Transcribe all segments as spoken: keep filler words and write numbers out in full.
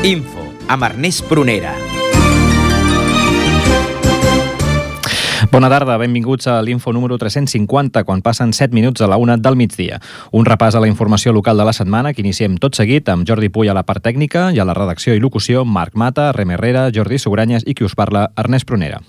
Info, amb Ernest Prunera. Bona tarda, benvinguts a l'Info número tres-cents cinquanta, quan passen set minuts a la una del migdia. Un repàs a la informació local de la setmana que iniciem tot seguit amb Jordi Puy a la part tècnica i a la redacció i locució Marc Mata, Rem Herrera, Jordi Sugranyes i qui us parla, Ernest Prunera.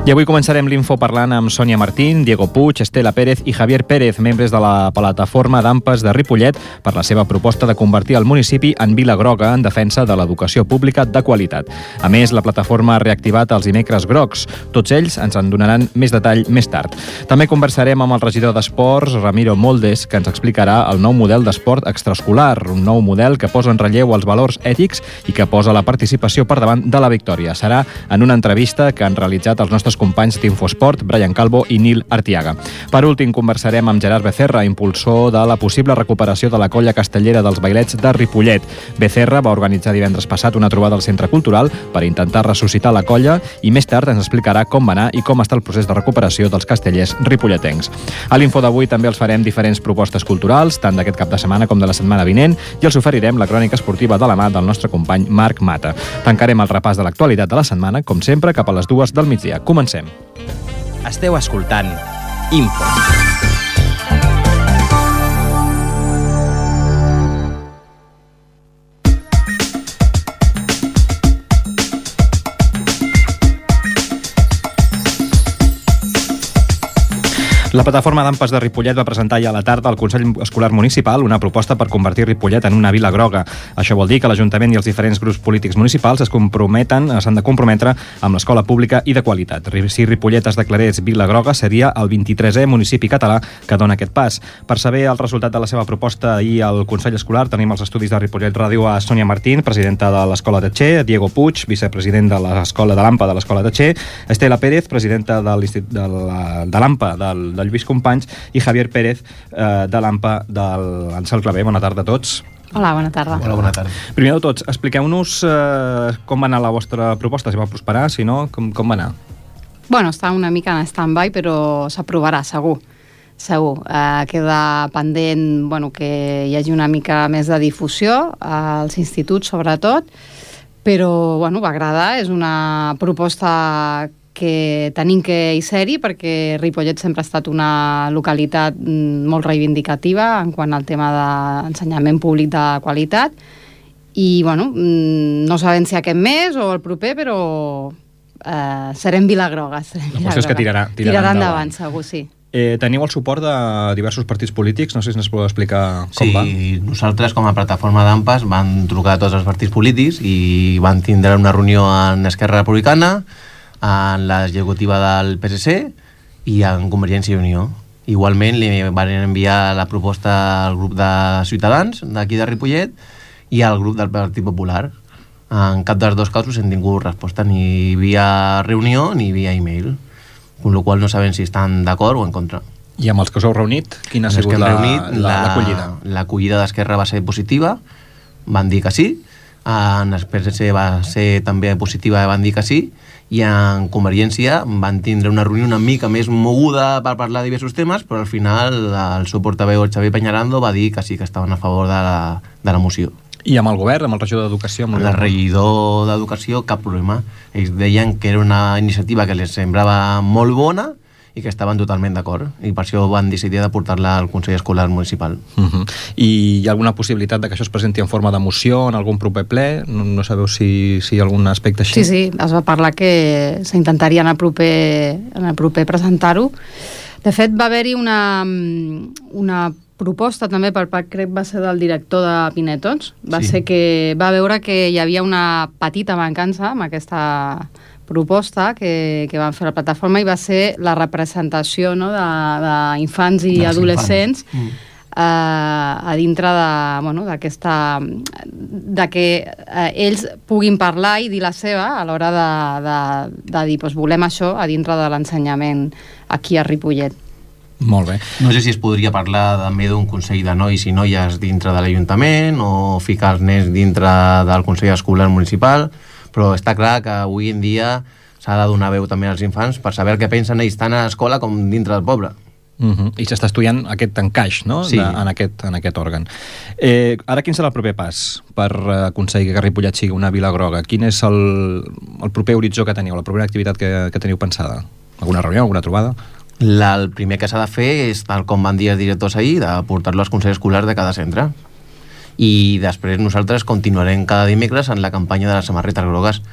I avui començarem l'Info parlant amb Sònia Martín, Diego Puig, Estela Pérez i Javier Pérez, membres de la plataforma d'AMPAs de Ripollet, per la seva proposta de convertir el municipi en Vila Groga en defensa de l'educació pública de qualitat. A més, la plataforma ha reactivat els dimecres grocs. Tots ells ens en donaran més detall més tard. També conversarem amb el regidor d'Esports, Ramiro Moldes, que ens explicarà el nou model d'esport extraescolar, un nou model que posa en relleu els valors ètics i que posa la participació per davant de la victòria. Serà en una entrevista que han realitzat els nostres companys d'Infosport, Brian Calvo i Nil Artiaga. Per últim, conversarem amb Gerard Becerra, impulsor de la possible recuperació de la colla castellera dels bailets de Ripollet. Becerra va organitzar divendres passat una trobada al Centre Cultural per intentar ressuscitar la colla i més tard ens explicarà com va anar i com està el procés de recuperació dels castellers ripolletencs. A l'Info d'avui també els farem diferents propostes culturals, tant d'aquest cap de setmana com de la setmana vinent, i els oferirem la crònica esportiva de la mà del nostre company Marc Mata. Tancarem el repàs de l'actualitat de la setmana, com sempre, cap a les dues del migdia. Comencem. Esteu escoltant Info. La plataforma d'AMPAs de Ripollet va presentar ja a la tarda al Consell Escolar Municipal una proposta per convertir Ripollet en una vila groga. Això vol dir que l'Ajuntament i els diferents grups polítics municipals es comprometen, s'han de comprometre amb l'escola pública i de qualitat. Si Ripollet es declarés vila groga, seria el vint-i-tresè municipi català que dona aquest pas. Per saber el resultat de la seva proposta ahir al Consell Escolar, tenim els estudis de Ripollet Ràdio a Sònia Martín, presidenta de l'Escola de Txer, Diego Puig, vicepresident de l'Escola de l'AMPA de l'Escola de Txer, Estela Pérez, presidenta de l'AMPA del de Lluís Companys, i Javier Pérez, eh, de l'AMPA del Ansel Clavé. Bona tarda a tots. Hola, bona tarda. Hola, bona tarda. Primer de tots, expliqueu-nos eh, com va anar la vostra proposta, si va prosperar, si no, com, com va anar? Bueno, està una mica en stand-by, però s'aprovarà, segur. Segur. Eh, queda pendent, bueno, que hi hagi una mica més de difusió als instituts, sobretot, però, bueno, va agradar. És una proposta que tenim que hi ser-hi, perquè Ripollet sempre ha estat una localitat molt reivindicativa en quant al tema d'ensenyament públic de qualitat, i bueno, no sabem si aquest mes o el proper, però eh, serem Vila Groga. Serem La qüestió és que tirarà, tirarà, tirarà endavant, endavant, segur, sí. Eh, teniu el suport de diversos partits polítics, no sé si ens podeu explicar com sí, va. Sí, nosaltres com a plataforma d'AMPAs van trucar a tots els partits polítics i van tindre una reunió en Esquerra Republicana, en l'executiva del P S C i en Convergència i Unió. Igualment li van enviar la proposta al grup de Ciutadans d'aquí de Ripollet i al grup del Partit Popular. En cap dels dos casos hem tingut resposta ni via reunió ni via e-mail, amb la qual no sabem si estan d'acord o en contra. I amb els que us heu reunit, quina ha sigut l'acollida? L'acollida d'Esquerra va ser positiva, van dir que sí. En el P S C va ser també positiva, van dir que sí, i en Convergència van tindre una reunió una mica més moguda per parlar de diversos temes, però al final el seu portaveu, el Xavier Peñarando, va dir que sí que estaven a favor de la, de la moció. I amb el govern, amb el regidor d'Educació? Amb el regidor d'Educació, cap problema. Ells deien que era una iniciativa que els semblava molt bona i que estaven totalment d'acord, i per això van decidir de portar-la al Consell Escolar Municipal. Uh-huh. I hi ha alguna possibilitat de que això es presenti en forma de moció en algun proper ple? No, no sabeu si, si hi ha algun aspecte així? Sí, sí, es va parlar que s'intentaria en el proper, en el proper presentar-ho. De fet, va haver-hi una, una proposta també per part, crec va ser del director de Pinetons, va sí. ser que va veure que hi havia una petita mancança amb aquesta proposta que, que van fer la plataforma, i va ser la representació, no, d'infants i Dels adolescents mm. eh, a dintre de, bueno, d'aquesta de que eh, ells puguin parlar i dir la seva a l'hora de, de, de dir, doncs volem això a dintre de l'ensenyament aquí a Ripollet. Molt bé. No sé si es podria parlar també d'un consell de nois i noies dintre de l'Ajuntament o ficar els nens dintre del Consell Escolar Municipal, però està clar que avui en dia s'ha de donar veu també als infants per saber el que pensen ells tant a l'escola com dintre del poble. Uh-huh. I s'està estudiant aquest encaix, no? Sí. De, en, aquest, en aquest òrgan. Eh, ara quin serà el proper pas per aconseguir que Ripollet sigui una vila groga? Quin és el, el proper horitzó que teniu, la propera activitat que, que teniu pensada? Alguna reunió, alguna trobada? La, el primer que s'ha de fer és, tal com van dir els directors ahir, de portar-lo als consells escolars de cada centre. I després nosaltres continuarem cada dimecres en la campanya de les samarretes grogues.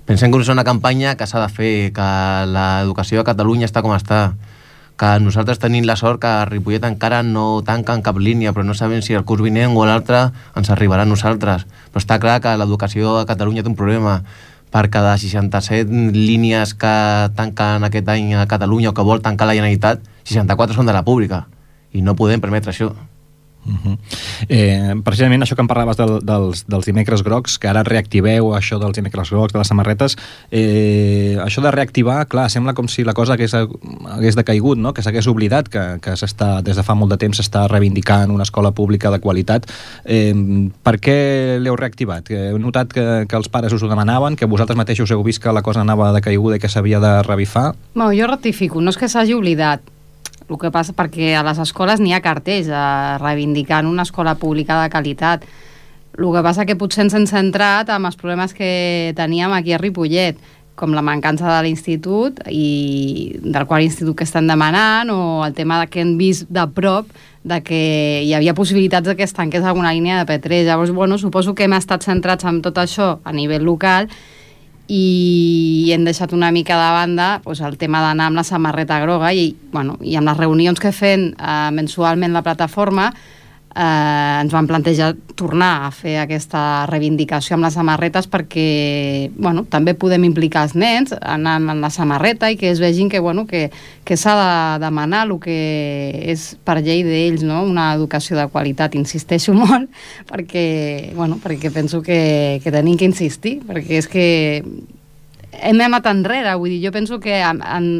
Pensem que és una campanya que s'ha de fer, que l'educació a Catalunya està com està, que nosaltres tenim la sort que a Ripollet encara no tanquen cap línia, però no sabem si el curs vinent o l'altre ens arribarà a nosaltres. Però està clar que l'educació a Catalunya té un problema. Per cada seixanta-set línies que tanquen aquest any a Catalunya o que vol tancar la Generalitat, seixanta-quatre són de la pública. I no podem permetre això. Uh-huh. eh, precisament això que em parlaves del, dels, dels dimecres grocs, que ara reactiveu això dels dimecres grocs, de les samarretes, eh, això de reactivar, clar, sembla com si la cosa hagués, hagués decaigut, no? Que s'hagués oblidat, que, que s'està, des de fa molt de temps s'està reivindicant una escola pública de qualitat. Eh, per què l'heu reactivat? Heu notat que, que els pares us ho demanaven, que vosaltres mateixos heu vist que la cosa anava decaiguda i que s'havia de revifar? No, jo rectifico, no és que s'hagi oblidat. El que passa perquè a les escoles n'hi ha cartells eh, reivindicant una escola pública de qualitat. El que passa que potser ens hem centrat en els problemes que teníem aquí a Ripollet, com la mancança de l'institut i del qual institut que estan demanant, o el tema que hem vist de prop de que hi havia possibilitats de que es tanqués alguna línia de P tres. Llavors, bueno, suposo que hem estat centrats en tot això a nivell local i hem deixat una mica de banda doncs, el tema d'anar amb la samarreta groga i, bueno, i amb les reunions que fem eh, mensualment la plataforma eh, ens van plantejar tornar a fer aquesta reivindicació amb les samarretes perquè bueno, també podem implicar els nens anant en la samarreta i que es vegin que, bueno, que, que s'ha de demanar el que és per llei d'ells, no? Una educació de qualitat. Insisteixo molt perquè, bueno, perquè penso que, que tenim que insistir, perquè és que hem anat enrere, vull dir, jo penso que en, en,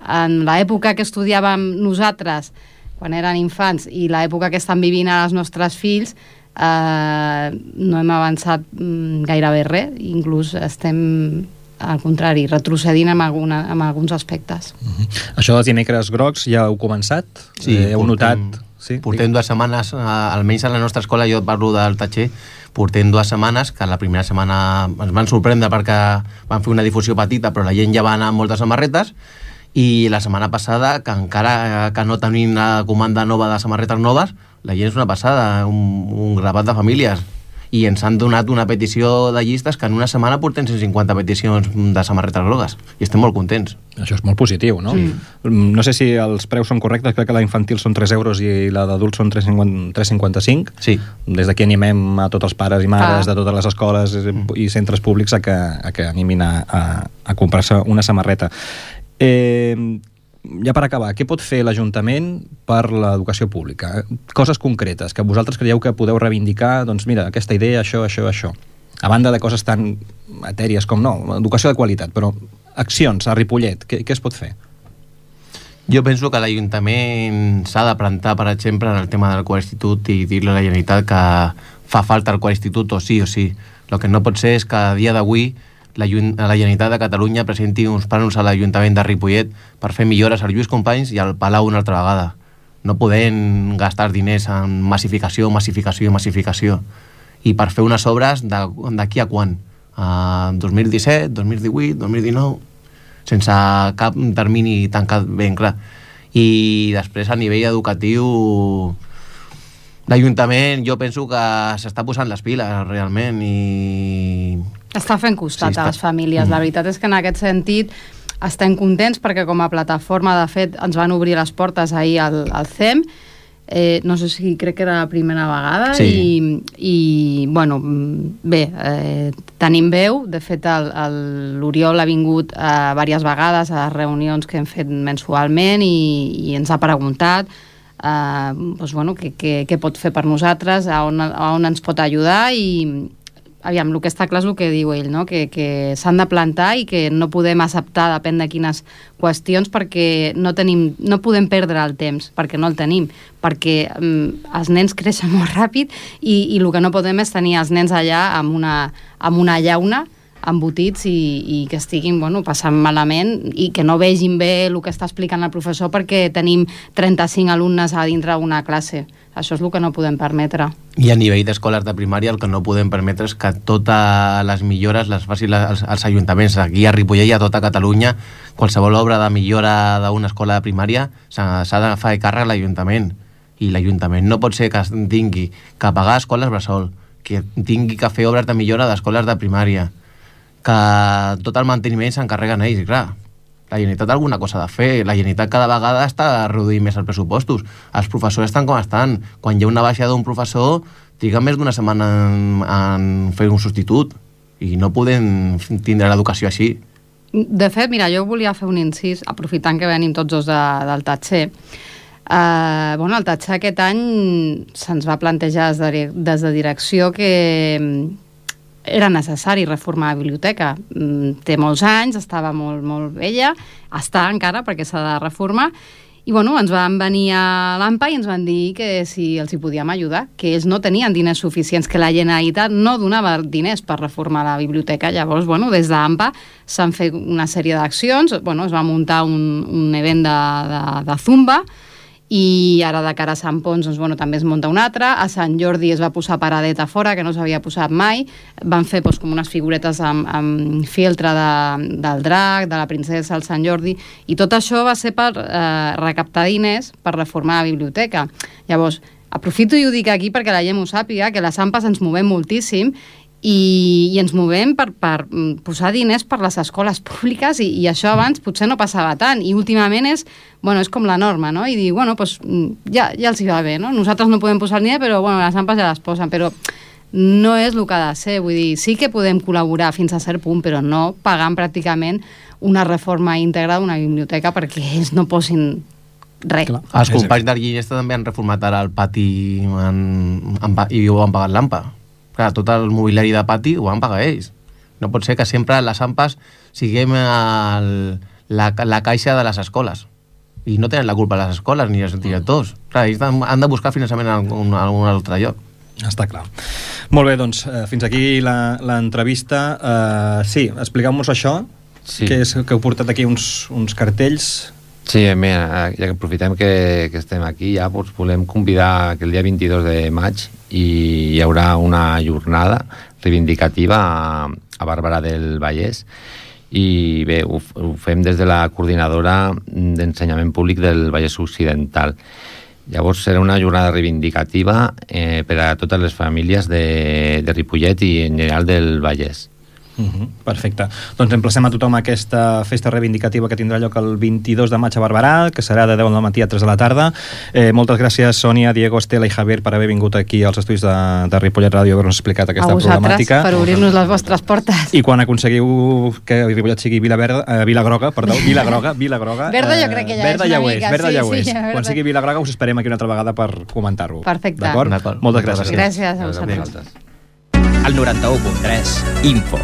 en l'època que estudiàvem nosaltres quan eren infants i l'època que estan vivint ara els nostres fills eh, no hem avançat mm, gairebé res, inclús estem al contrari, retrocedint en, alguna, en alguns aspectes. Uh-huh. Això dels dimecres grocs ja heu començat? Sí, eh, heu portem, notat? Sí? Portem dues setmanes, eh, almenys a la nostra escola, jo parlo del Tatxer, portem dues setmanes, que la primera setmana ens van sorprendre perquè van fer una difusió petita, però la gent ja va anar amb moltes samarretes, i la setmana passada, que encara que no tenim la comanda nova de samarretes noves, la gent és una passada, un, un grapat de famílies. I ens han donat una petició de llistes que en una setmana portem cent cinquanta peticions de samarretes grogues. I estem molt contents. Això és molt positiu, no? Sí. No sé si els preus són correctes, crec que la infantil són tres euros i la d'adults són tres coma cinquanta-cinc. Sí. Des d'aquí animem a tots els pares i mares ah. de totes les escoles i centres públics a que, a que animin a, a, a comprar-se una samarreta. Eh, ja per acabar, què pot fer l'Ajuntament per l'educació pública? Coses concretes que vosaltres creieu que podeu reivindicar, doncs mira, aquesta idea, això, això, això. A banda de coses tan etèries com no, educació de qualitat, però accions a Ripollet, què, què es pot fer? Jo penso que l'Ajuntament s'ha de plantar, per exemple, en el tema del quart institut i dir-li a la Generalitat que fa falta el quart institut o sí o sí. El que no pot ser és que a dia d'avui la, la Generalitat de Catalunya presenti uns plans a l'Ajuntament de Ripollet per fer millores al Lluís Companys i al Palau una altra vegada. No podem gastar diners en massificació, massificació, massificació. I per fer unes obres d'aquí a quan? A dos mil disset, dos mil divuit, dos mil dinou, sense cap termini tancat ben clar. I després a nivell educatiu l'Ajuntament jo penso que s'està posant les piles realment i està fent costat sí, està... a les famílies. Mm. La veritat és que en aquest sentit estem contents perquè com a plataforma, de fet, ens van obrir les portes ahir al, al C E M. Eh, no sé si crec que era la primera vegada sí. i, i bueno, bé, eh, tenim veu. De fet, l'Oriol ha vingut eh, diverses vegades a les reunions que hem fet mensualment i, i ens ha preguntat eh, doncs, bueno, què, què, què pot fer per nosaltres, a on, a on ens pot ajudar i aviam, el que està clar és el que diu ell, no? que, que s'han de plantar i que no podem acceptar, depèn de quines qüestions, perquè no, tenim, no podem perdre el temps, perquè no el tenim, perquè um, els nens creixen molt ràpid i, i el que no podem és tenir els nens allà amb una, amb una llauna embotits i, i que estiguin bueno, passant malament i que no vegin bé el que està explicant el professor perquè tenim trenta-cinc alumnes a dintre d'una classe. Això és el que no podem permetre. I a nivell d'escoles de primària el que no podem permetre és que totes les millores les facin els, els ajuntaments. Aquí a Ripollet i a tota Catalunya, qualsevol obra de millora d'una escola de primària s'ha de fer càrrec a l'Ajuntament. I l'Ajuntament no pot ser que tingui que pagar escoles bressol, que tingui que fer obres de millora d'escoles de primària, que tot el manteniment s'encarreguen ells, clar. La Generalitat alguna cosa ha de fer. La Generalitat cada vegada està reduint més els pressupostos. Els professors estan com estan. Quan hi ha una baixa d'un professor, triguen més d'una setmana en, en fer un substitut. I no podem tindre l'educació així. De fet, mira, jo volia fer un incís, aprofitant que venim tots dos de, del Tatxer. Uh, bueno, el Tatxer aquest any se'ns va plantejar des de, des de direcció que era necessari reformar la biblioteca. Té molts anys, estava molt, molt vella, està encara perquè s'ha de reformar, i bueno, ens van venir a l'AMPA i ens van dir que si els hi podíem ajudar, que ells no tenien diners suficients, que la Generalitat no donava diners per reformar la biblioteca. Llavors, bueno, des d'AMPA s'han fet una sèrie d'accions, bueno, es va muntar un, un event de, de, de Zumba, i ara de cara a Sant Pons doncs, bueno, també es munta un altre. A Sant Jordi es va posar paradeta fora, que no s'havia posat mai. Van fer doncs, com unes figuretes amb, amb filtre de, del drac, de la princesa, el Sant Jordi, i tot això va ser per eh, recaptar diners per reformar la biblioteca. Llavors, aprofito i ho dic aquí perquè la gent ho sàpiga, que les AMPAs ens movem moltíssim i, i ens movem per, per posar diners per les escoles públiques i, i això abans potser no passava tant i últimament és, bueno, és com la norma, no? I dir, bueno, pues, ja, ja els hi va bé, no? Nosaltres no podem posar el diner, però bueno, les AMPAs ja les posen, però no és el que ha de ser, vull dir, sí que podem col·laborar fins a cert punt, però no pagant pràcticament una reforma íntegra d'una biblioteca perquè ells no posin res. Clar. Els companys d'Arguillesta també han reformat ara el pati en, en, i ho han pagat l'AMPA. Clar, tot el mobiliari de pati ho van pagar ells. No pot ser que sempre les AMPAs siguem el, la, la caixa de les escoles. I no tenen la culpa les escoles ni els directors. Clar, ells han de buscar finançament en algun, en algun altre lloc. Està clar. Molt bé, doncs, eh, fins aquí l'entrevista. Uh, sí, expliqueu-nos això, sí. que, és, que heu portat aquí uns, uns cartells. Sí, mira, ja que aprofitem que, que estem aquí, ja doncs, volem convidar que el dia vint-i-dos de maig i hi haurà una jornada reivindicativa a, a Barberà del Vallès i bé, ho, ho fem des de la coordinadora d'ensenyament públic del Vallès Occidental. Llavors serà una jornada reivindicativa eh, per a totes les famílies de, de Ripollet i en general del Vallès. Uh-huh, perfecte. Doncs emplacem a tothom a aquesta festa reivindicativa que tindrà lloc el vint-i-dos de maig a Barberà, que serà de deu del matí a tres de la tarda. Eh, moltes gràcies, Sònia, Diego, Estela i Javier, per haver vingut aquí als estudis de, de Ripollet Ràdio i haver-nos explicat aquesta problemàtica. A vosaltres, per obrir-nos les vostres portes. I quan aconseguiu que Ripollet sigui Vila, Verda, eh, Vila Groga, perdó, Vila Groga, Vila Groga. Verda jo crec que ja verda és una ja ho és, mica. Verda sí, ja ho és. Sí, ja, quan sigui Vila Groga us esperem aquí una altra vegada per comentar-ho. Perfecte. D'acord? Moltes gràcies. Gràcies a vosaltres. El noranta-u punt tres, Info.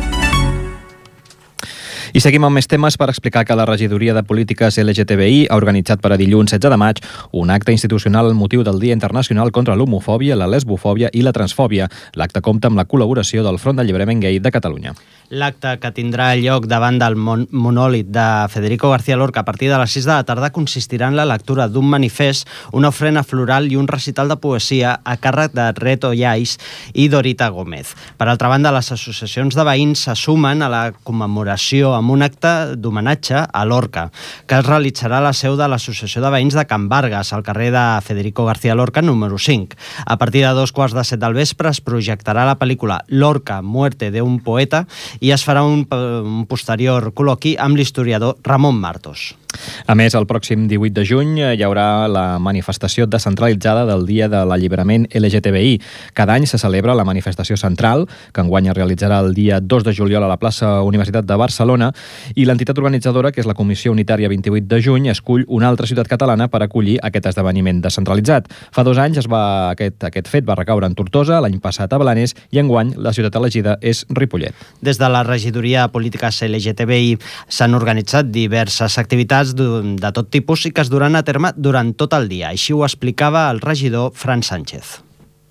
I seguim amb més temes per explicar que la Regidoria de Polítiques L G T B I ha organitzat per a dilluns setze de maig un acte institucional al motiu del Dia Internacional contra l'homofòbia, la lesbofòbia i la transfòbia. L'acte compta amb la col·laboració del Front d'Alliberament Gai de Catalunya. L'acte, que tindrà lloc davant del mon monòlit de Federico García Lorca a partir de les sis de la tarda, consistirà en la lectura d'un manifest, una ofrena floral i un recital de poesia a càrrec de Reto Llais i Dorita Gómez. Per altra banda, les associacions de veïns se sumen a la commemoració amb un acte d'homenatge a Lorca, que es realitzarà a la seu de l'Associació de Veïns de Can Vargas, al carrer de Federico García Lorca, número cinc. A partir de dos quarts de set del vespre es projectarà la pel·lícula Lorca, muerte de un poeta, i es farà un, un posterior col·loqui amb l'historiador Ramon Martos. A més, el pròxim divuit de juny hi haurà la manifestació descentralitzada del Dia de l'Alliberament L G T B I. Cada any se celebra la manifestació central, que enguany es realitzarà el dia dos de juliol a la plaça Universitat de Barcelona, i l'entitat organitzadora, que és la Comissió Unitària vint-i-vuit de juny, escull una altra ciutat catalana per acollir aquest esdeveniment descentralitzat. Fa dos anys es va, aquest, aquest fet va recaure en Tortosa, l'any passat a Blanes, i enguany la ciutat elegida és Ripollet. Des de la Regidoria de Polítiques L G T B I s'han organitzat diverses activitats de tot tipus i que es duran a terme durant tot el dia. Així ho explicava el regidor Fran Sánchez.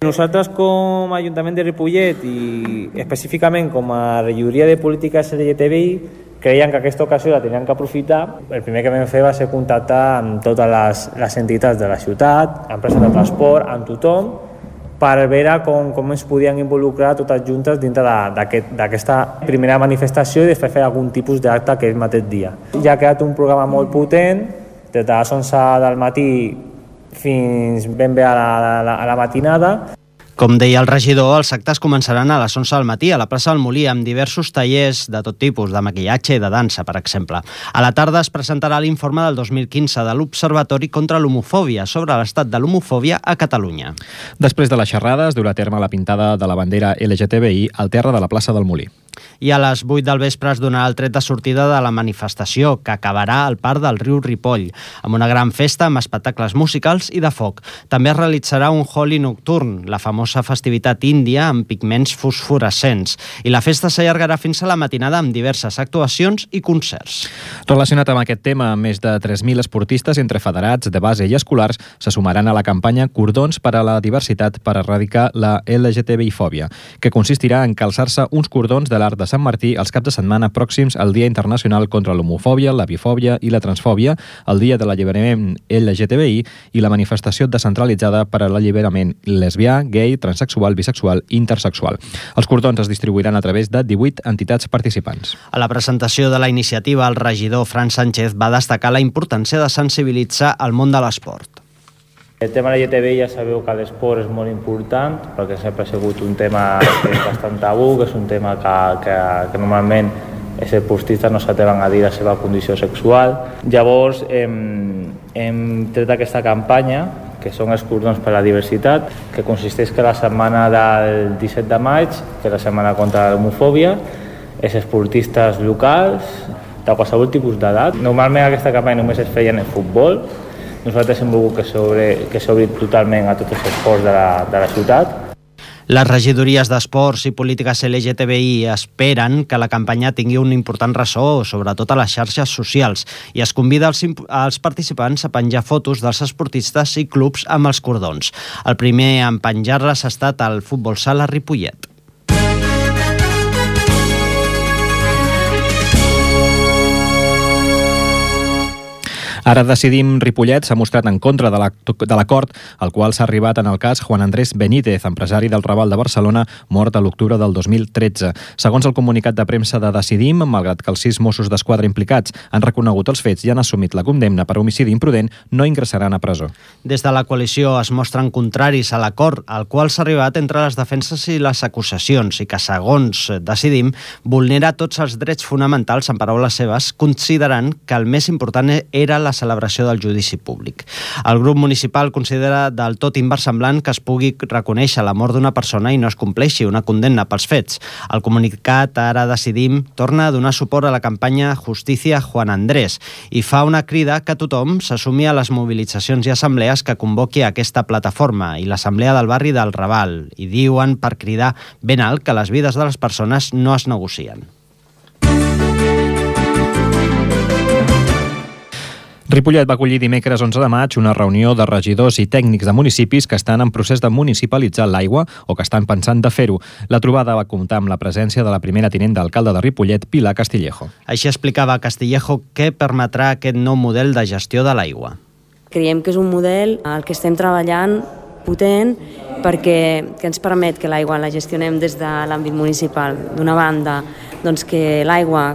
Nosaltres com a Ajuntament de Ripollet i específicament com a regidoria de polítiques L G T B I creien que aquesta ocasió la tenien que aprofitar. El primer que vam fer va ser contactar amb totes les, les entitats de la ciutat, empreses de transport, amb tothom, per veure com, com ens podien involucrar totes juntes dintre d'aquesta aquest, primera manifestació i després fer algun tipus d'acte aquell mateix dia. Ja ha quedat un programa molt potent, des de les onze del matí fins ben bé a la, a la, a la matinada. Com deia el regidor, els actes començaran a les onze del matí a la plaça del Molí amb diversos tallers de tot tipus, de maquillatge i de dansa, per exemple. A la tarda es presentarà l'informe del dos mil quinze de l'Observatori contra l'Homofòbia sobre l'estat de l'homofòbia a Catalunya. Després de la xerrada es durà a terme la pintada de la bandera L G T B I al terra de la plaça del Molí. I a les vuit del vespre es donarà el tret de sortida de la manifestació, que acabarà al Parc del Riu Ripoll, amb una gran festa amb espectacles musicals i de foc. També es realitzarà un Holi nocturn, la famosa festivitat índia amb pigments fosforescents, i la festa s'allargarà fins a la matinada amb diverses actuacions i concerts. Relacionat amb aquest tema, més de tres mil esportistes entre federats, de base i escolars se sumaran a la campanya Cordons per a la diversitat per erradicar la L G T B I-fòbia, que consistirà en calçar-se uns cordons de l'Arc de Sant Martí els caps de setmana pròxims al Dia Internacional contra l'Homofòbia, la Bifòbia i la Transfòbia, el Dia de l'Alliberament L G T B I i la manifestació descentralitzada per a l'alliberament lesbià, gay, transexual, bisexual i intersexual. Els cordons es distribuiran a través de divuit entitats participants. A la presentació de la iniciativa, el regidor Fran Sánchez va destacar la importància de sensibilitzar el món de l'esport. El tema L G T B I ja sabeu que l'esport és molt important, perquè sempre ha sigut un tema que és bastant tabú, que és un tema que, que, que normalment els esportistes no s'atreven a dir la seva condició sexual. Llavors hem, hem tret aquesta campanya, que són els cordons per a la diversitat, que consisteix que la setmana del disset de maig, que és la setmana contra l'homofòbia, els esportistes locals, de qualsevol tipus d'edat. Normalment aquesta campanya només es feia en el futbol. Nosaltres hem volgut que s'obri totalment a tots els esports de la, de la ciutat. Les regidories d'Esports i Polítiques L G T B I esperen que la campanya tingui un important ressò, sobretot a les xarxes socials, i es convida als, als participants a penjar fotos dels esportistes i clubs amb els cordons. El primer en penjar-les ha estat el Futbol Sala Ripollet. Ara Decidim Ripollet s'ha mostrat en contra de l'acord al qual s'ha arribat en el cas Juan Andrés Benítez, empresari del Raval de Barcelona, mort a l'octubre del dos mil tretze. Segons el comunicat de premsa de Decidim, malgrat que els sis Mossos d'Esquadra implicats han reconegut els fets i han assumit la condemna per homicidi imprudent, no ingressaran a presó. Des de la coalició es mostren contraris a l'acord al qual s'ha arribat entre les defenses i les acusacions i que, segons Decidim, vulnera tots els drets fonamentals, en paraules seves, considerant que el més important era la celebració del judici públic. El grup municipal considera del tot inversemblant que es pugui reconèixer la mort d'una persona i no es compleixi una condemna pels fets. El comunicat Ara Decidim torna a donar suport a la campanya Justícia Juan Andrés i fa una crida que tothom s'assumi a les mobilitzacions i assemblees que convoqui aquesta plataforma i l'assemblea del barri del Raval, i diuen per cridar ben alt que les vides de les persones no es negocien. Ripollet va acollir dimecres onze de maig una reunió de regidors i tècnics de municipis que estan en procés de municipalitzar l'aigua o que estan pensant de fer-ho. La trobada va comptar amb la presència de la primera tinent d'alcalde de Ripollet, Pilar Castillejo. Així explicava Castillejo què permetrà aquest nou model de gestió de l'aigua. Creiem que és un model al que estem treballant potent perquè que ens permet que l'aigua la gestionem des de l'àmbit municipal. D'una banda, doncs que l'aigua,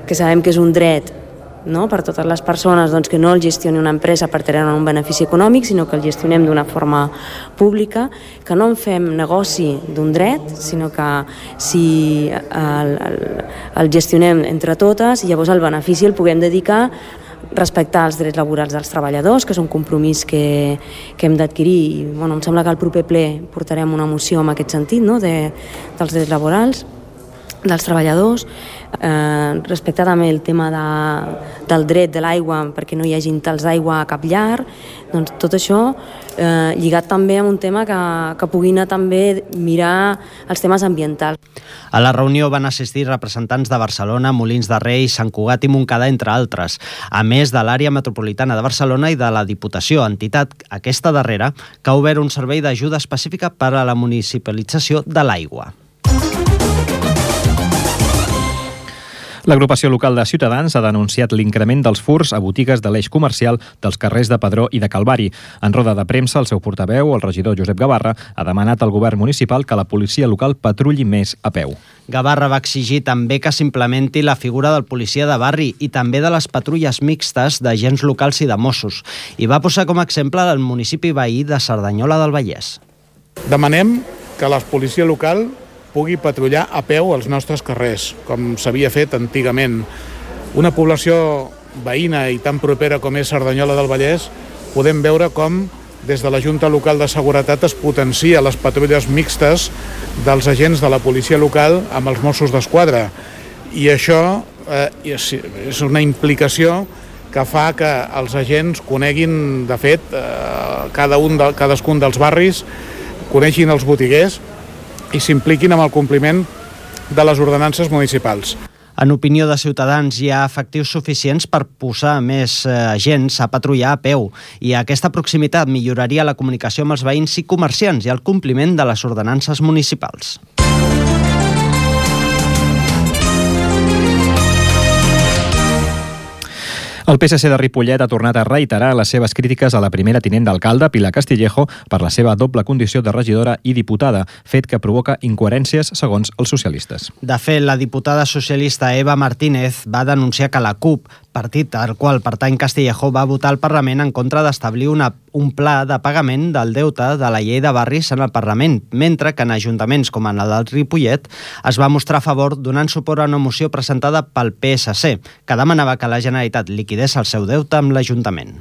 que sabem que és un dret, no? Per totes les persones, doncs, que no el gestioni una empresa per treure un benefici econòmic, sinó que el gestionem d'una forma pública, que no en fem negoci d'un dret, sinó que si el, el, el gestionem entre totes, i llavors el benefici el puguem dedicar a respectar els drets laborals dels treballadors, que és un compromís que, que hem d'adquirir. I, bueno, em sembla que al proper ple portarem una moció en aquest sentit, no? de, dels drets laborals. dels treballadors, eh, respectar també el tema de, del dret de l'aigua perquè no hi hagi tals d'aigua a cap llar, doncs tot això eh, lligat també amb un tema que, que pugui anar també mirar els temes ambientals. A la reunió van assistir representants de Barcelona, Molins de Rei, Sant Cugat i Montcada, entre altres, a més de l'àrea metropolitana de Barcelona i de la Diputació, entitat aquesta darrera que ha obert un servei d'ajuda específica per a la municipalització de l'aigua. L'agrupació local de Ciutadans ha denunciat l'increment dels furts a botigues de l'eix comercial dels carrers de Padró i de Calvari. En roda de premsa, el seu portaveu, el regidor Josep Gavarra, ha demanat al govern municipal que la policia local patrulli més a peu. Gavarra va exigir també que s'implementi la figura del policia de barri i també de les patrulles mixtes d'agents locals i de Mossos. I va posar com a exemple el municipi veí de Cerdanyola del Vallès. Demanem que la policia local pugui patrullar a peu als nostres carrers, com s'havia fet antigament. Una població veïna i tan propera com és Cerdanyola del Vallès, podem veure com des de la Junta Local de Seguretat es potencia les patrulles mixtes dels agents de la policia local amb els Mossos d'Esquadra. I això eh, és una implicació que fa que els agents coneguin, de fet, eh, cada un de, cadascun dels barris, coneixin els botiguers i s'impliquin amb el compliment de les ordenances municipals. En opinió de Ciutadans, hi ha efectius suficients per posar més eh, agents a patrullar a peu i aquesta proximitat milloraria la comunicació amb els veïns i comerciants i el compliment de les ordenances municipals. El P S C de Ripollet ha tornat a reiterar les seves crítiques a la primera tinent d'alcalde, Pilar Castillejo, per la seva doble condició de regidora i diputada, fet que provoca incoherències segons els socialistes. De fet, la diputada socialista Eva Martínez va denunciar que la CUP, partit al qual pertany Castillejo, va votar al Parlament en contra d'establir una, un pla de pagament del deute de la llei de barris en el Parlament, mentre que en ajuntaments com en el del Ripollet es va mostrar a favor donant suport a una moció presentada pel P S C, que demanava que la Generalitat liquidés el seu deute amb l'Ajuntament.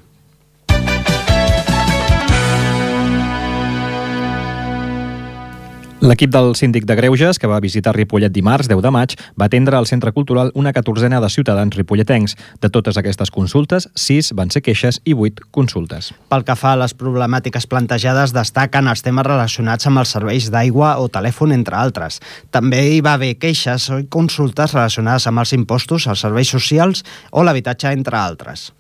L'equip del síndic de Greuges, que va visitar Ripollet dimarts, deu de maig, va atendre al Centre Cultural una catorzena de ciutadans ripolletencs. De totes aquestes consultes, sis van ser queixes i vuit consultes. Pel que fa a les problemàtiques plantejades, destaquen els temes relacionats amb els serveis d'aigua o telèfon, entre altres. També hi va haver queixes o consultes relacionades amb els impostos, els serveis socials o l'habitatge, entre altres.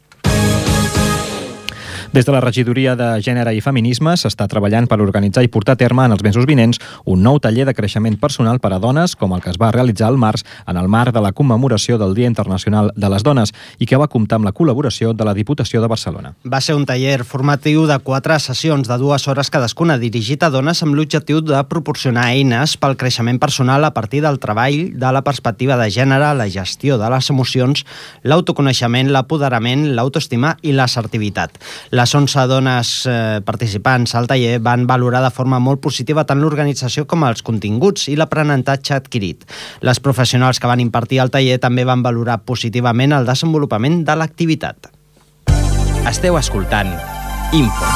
Des de la Regidoria de Gènere i Feminisme s'està treballant per organitzar i portar a terme en els mesos vinents un nou taller de creixement personal per a dones, com el que es va realitzar al març en el marc de la commemoració del Dia Internacional de les Dones i que va comptar amb la col·laboració de la Diputació de Barcelona. Va ser un taller formatiu de quatre sessions de dues hores cadascuna, dirigit a dones amb l'objectiu de proporcionar eines pel creixement personal a partir del treball de la perspectiva de gènere, la gestió de les emocions, l'autoconeixement, l'apoderament, l'autoestima i l'assertivitat. Les onze dones eh, participants al taller van valorar de forma molt positiva tant l'organització com els continguts i l'aprenentatge adquirit. Les professionals que van impartir el taller també van valorar positivament el desenvolupament de l'activitat. Esteu escoltant Info.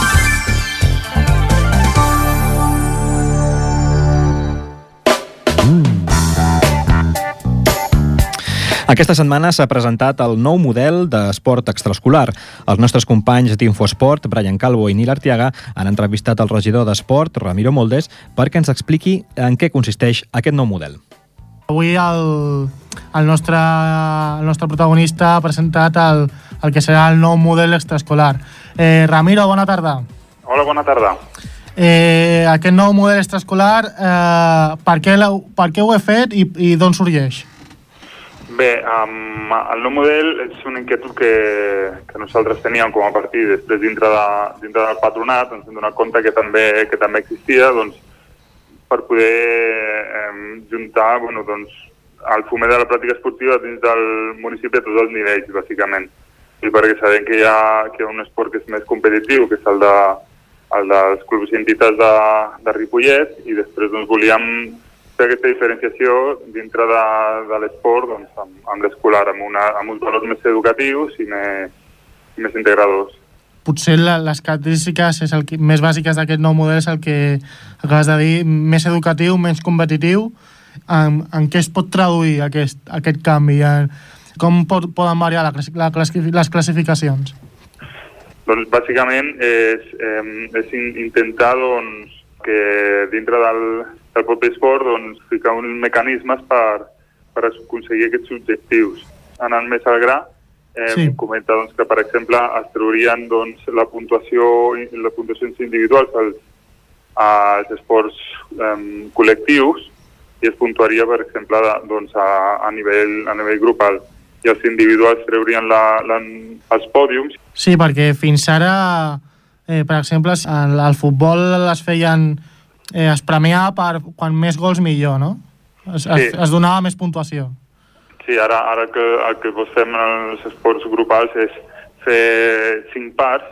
Aquesta setmana s'ha presentat el nou model d'esport extraescolar. Els nostres companys d'Infosport, Brian Calvo i Nil Artiaga, han entrevistat el regidor d'Esport, Ramiro Moldes, perquè ens expliqui en què consisteix aquest nou model. Avui el, el, nostre, el nostre protagonista ha presentat el, el que serà el nou model extraescolar. Eh, Ramiro, bona tarda. Hola, bona tarda. Eh, aquest nou model extraescolar, eh, per, què per què ho he fet i, i d'on sorgeix? Bé, um, el nou model és una inquietud que, que nosaltres teníem com a partit després dintre, de, dintre del patronat, ens hem donat compte que també, que també existia, doncs, per poder eh, juntar bueno, doncs, el foment de la pràctica esportiva dins del municipi a tots els nivells, bàsicament. I perquè sabem que hi ha, que hi ha un esport que és més competitiu, que és el, de, el dels clubs i entitats de, de Ripollet, i després doncs, volíem fer aquesta diferenciació dintre de, de l'esport doncs, amb, amb l'escolar, amb, una, amb uns valors més educatius i més, i més integradors. Potser la, les característiques és el que, més bàsiques d'aquest nou model és el que acabes de dir, més educatiu, menys competitiu en, en què es pot traduir aquest, aquest canvi? En, com pot, poden variar la, la classific, les classificacions? Doncs bàsicament és, eh, és intentar doncs, que dintre del, del propi esport doncs, ficar uns mecanismes per, per aconseguir aquests objectius. Anant més al gra, eh, sí. comenta doncs, que, per exemple, es traurien doncs, la puntuació les puntuacions individuals als, als esports eh, col·lectius i es puntuaria, per exemple, doncs, a, a, nivell, a nivell grupal. I els individuals treurien la, la, els pòdiums. Sí, perquè fins ara, eh, per exemple, al, al futbol es feien, eh, es premiava per quan més gols millor, no? Es, sí. es, es donava més puntuació. Sí, ara, ara que el que vos fem en els esports grupals és fer cinc parts,